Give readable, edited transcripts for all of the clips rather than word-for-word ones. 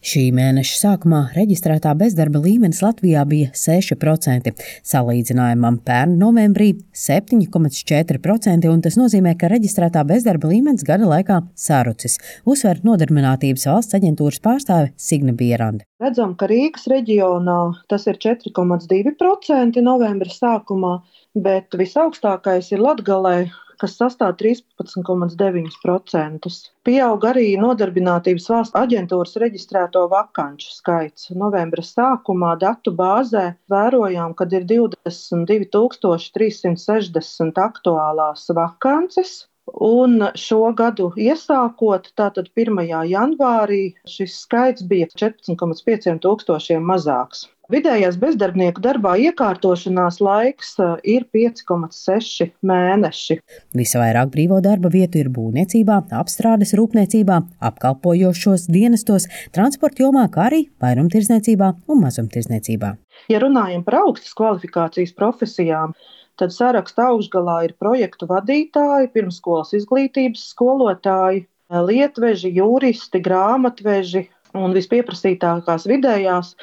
Šī mēneša sākumā reģistrētā bezdarba līmenis Latvijā bija 6%, salīdzinājumam pērn novembrī 7,4%, un tas nozīmē, ka reģistrētā bezdarba līmenis gada laikā sarucis, uzsver Nodarbinātības valsts aģentūras pārstāve Signe Bierande. Redzam, ka Rīgas reģionā tas ir 4,2% novembra sākumā, bet visaugstākais ir Latgalē, kas sastāv 13,9%. Pieaug arī Nodarbinātības valsts aģentūras reģistrēto vakanču skaits. Novembra sākumā datu bāzē vērojām, kad ir 22,360 aktuālās vakances. Un šo gadu iesākot, tātad 1. janvārī, šis skaits bija 14,5 tūkstošiem mazāks. Vidējais bezdarbnieku darbā iekārtošanās laiks ir 5,6 mēneši. Visvairāk brīvo darba vietu ir būvniecībā, apstrādes rūpniecībā, apkalpojošos dienestos, transporta jomā, kā arī vairumtirdzniecībā un mazumtirdzniecībā. Ja runājam par augstas kvalifikācijas profesijām, tad saraksta augšgalā ir projektu vadītāji, pirmsskolas izglītības skolotāji, lietveži, juristi, grāmatveži un vispieprasītākās vidējās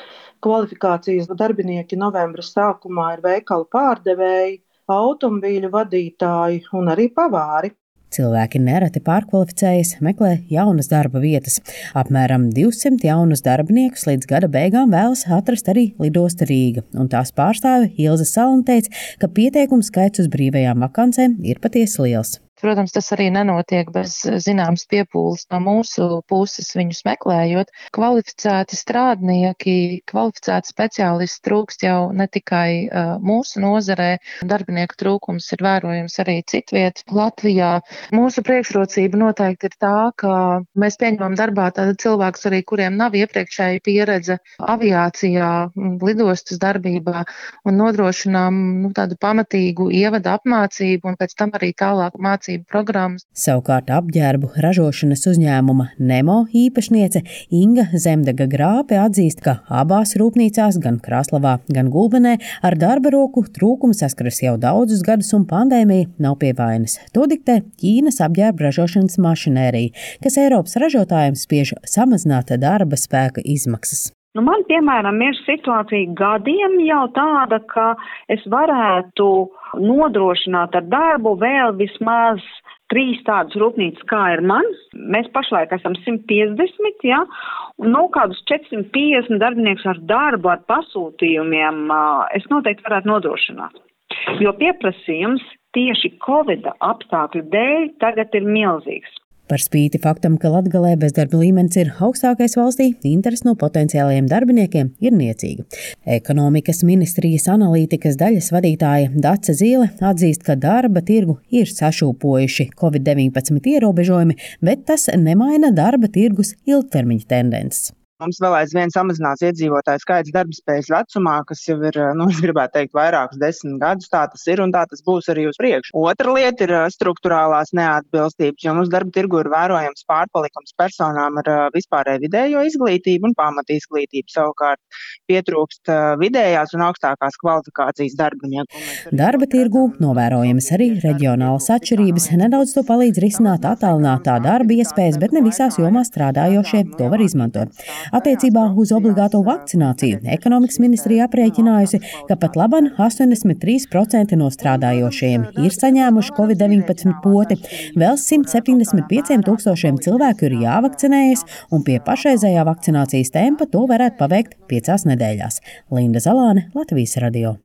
kvalifikācijas darbinieki novembra sākumā ir veikalu pārdevēji, automobīļu vadītāji un arī pavāri. Cilvēki nereti pārkvalificējas, meklē jaunas darba vietas. Apmēram 200 jaunus darbiniekus līdz gada beigām vēlas atrast arī Lidosta Rīga, un tās pārstāve Ilze Salna teica, ka pieteikumu skaits uz brīvajām vakancēm ir patiesi liels. Protams, tas arī nenotiek bez zināmas piepūles no mūsu puses viņus meklējot. Kvalificēti strādnieki, kvalificēti speciālisti trūkst jau ne tikai mūsu nozarē. Darbinieku trūkums ir vērojams arī citviet Latvijā. Mūsu priekšrocība noteikti ir tā, ka mēs pieņemam darbā tādu cilvēkus arī, kuriem nav iepriekšēja pieredze aviācijā, lidostas darbībā un nodrošinām tādu pamatīgu ievada apmācību un pēc tam arī tālāk mācību programmas. Savukārt apģērbu ražošanas uzņēmuma Nemo īpašniece Inga Zemdega Grāpe atzīst, ka abās rūpnīcās, gan Krāslavā, gan Gulbenē, ar darba roku trūkumu saskaras jau daudzus gadus un pandēmija nav pie vainas. To diktē Ķīnas apģērbu ražošanas mašinērija, kas Eiropas ražotājiem spiež samazināt darba spēka izmaksas. Man, piemēram, ir situācija gadiem jau tāda, ka es varētu nodrošināt ar darbu vēl vismaz 3 tādas rūpnīcas, kā ir man. Mēs pašlaik esam 150, ja? Un kādus 450 darbiniekus ar darbu, ar pasūtījumiem es noteikti varētu nodrošināt. Jo pieprasījums tieši Covid apstākļu dēļ tagad ir milzīgs. Par spīti faktam, ka Latgalē bezdarba līmenis ir augstākais valstī, interese no potenciālajiem darbiniekiem ir niecīga. Ekonomikas ministrijas analītikas daļas vadītāja Dace Zīle atzīst, ka darba tirgu ir sašūpojuši Covid-19 ierobežojumi, bet tas nemaina darba tirgus ilgtermiņa tendences. Mums vēl aizvien samazinās iedzīvotāju skaits darbspējas vecumā, kas jau ir, es gribētu teikt, vairākus 10 gadus. Tā tas ir un tā tas būs arī uz priekšu. Otra lieta ir struktūrālās neatbilstības, jo mums darba tirgu ir vērojams pārpalikums personām ar vispārēju vidējo izglītību un pamatizglītību. Savukārt pietrūkst vidējās un augstākās kvalifikācijas darbinieku. Darba tirgu novērojamas arī reģionālas atšķirības. Nedaudz to palīdz risināt attālinātā darba iespējas, bet ne visās jomās strādājošie to var izmantot. Attiecībā uz obligāto vakcināciju ekonomikas ministrija aprēķinājusi, ka pat laban 83% no strādājošajiem ir saņēmuši Covid-19 poti, vēl 175 tūkstošiem cilvēku ir jāvakcinējas, un pie pašreizējā vakcinācijas tempa to varētu paveikt 5 nedēļās. Linda Zalāne, Latvijas radio.